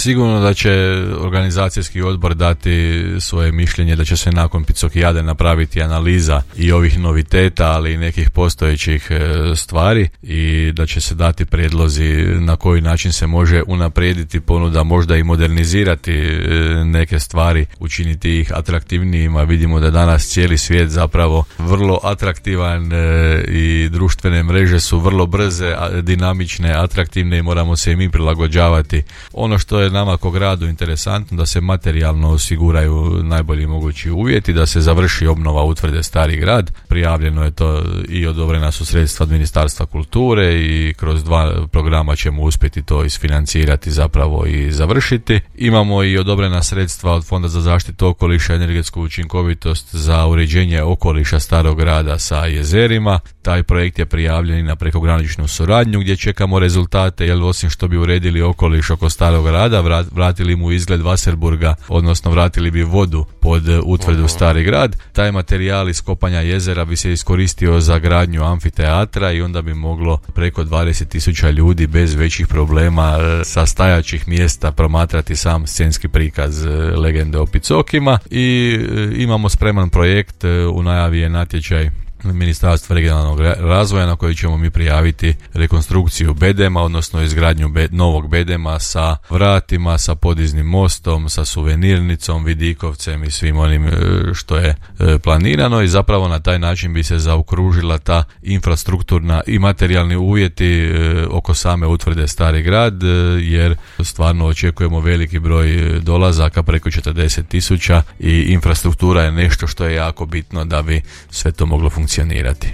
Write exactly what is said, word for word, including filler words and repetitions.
Sigurno da će organizacijski odbor dati svoje mišljenje, da će se nakon Picokijade napraviti analiza i ovih noviteta, ali i nekih postojećih stvari i da će se dati prijedlozi na koji način se može unaprijediti ponuda, možda i modernizirati neke stvari, učiniti ih atraktivnijima. Vidimo da danas cijeli svijet zapravo vrlo atraktivan i društvene mreže su vrlo brze, dinamične, atraktivne i moramo se i mi prilagođavati. Ono što je nama kao gradu interesantno, da se materijalno osiguraju najbolji mogući uvjeti, da se završi obnova utvrde Stari grad. Prijavljeno je to i odobrena su sredstva od Ministarstva kulture i kroz dva programa ćemo uspjeti to isfinancirati zapravo i završiti. Imamo i odobrena sredstva od Fonda za zaštitu okoliša i energetsku učinkovitost za uređenje okoliša Starog grada sa jezerima. Taj projekt je prijavljen i na prekograničnu suradnju gdje čekamo rezultate, jer osim što bi uredili okoliš oko Starog grada, vratili mu izgled Wasserburga, odnosno vratili bi vodu pod utvrdu Stari grad. Taj materijal iz kopanja jezera bi se iskoristio za gradnju amfiteatra i onda bi moglo preko dvadeset tisuća ljudi bez većih problema sa stajaćih mjesta promatrati sam scenski prikaz legende o Picokima. I imamo spreman projekt, u najavi je natječaj Ministarstva regionalnog razvoja na koji ćemo mi prijaviti rekonstrukciju bedema, odnosno izgradnju be- novog bedema sa vratima, sa podiznim mostom, sa suvenirnicom, vidikovcem i svim onim što je planirano i zapravo na taj način bi se zaokružila ta infrastrukturna i materijalni uvjeti oko same utvrde Stari grad, jer stvarno očekujemo veliki broj dolazaka, preko četrdeset tisuća, i infrastruktura je nešto što je jako bitno da bi sve to moglo funkcionirati.